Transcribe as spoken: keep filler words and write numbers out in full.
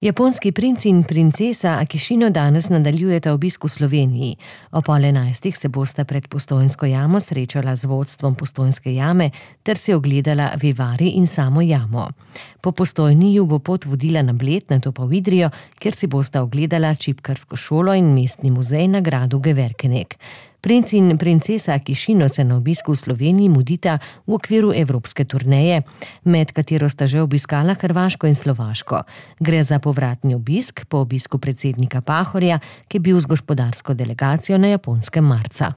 Japonski princ in princesa Akishino danes nadaljujeta obisk v Sloveniji. O pol enajstih se bosta pred Postojnsko jamo srečala z vodstvom Postojnske jame ter si ogledala vivari in samo jamo. Po Postojni ju bo pot vodila na Bled, nato pa v Idrijo, kjer si bosta ogledala čipkarsko šolo in mestni muzej na gradu Geverkenek. Princ in princesa Akishino se na obisku v Sloveniji mudita v okviru evropske turneje, med katero sta že obiskala Hrvaško in Slovaško. Gre za povratni obisk po obisku predsednika Pahorja, ki je bil z gospodarsko delegacijo na Japonskem marca.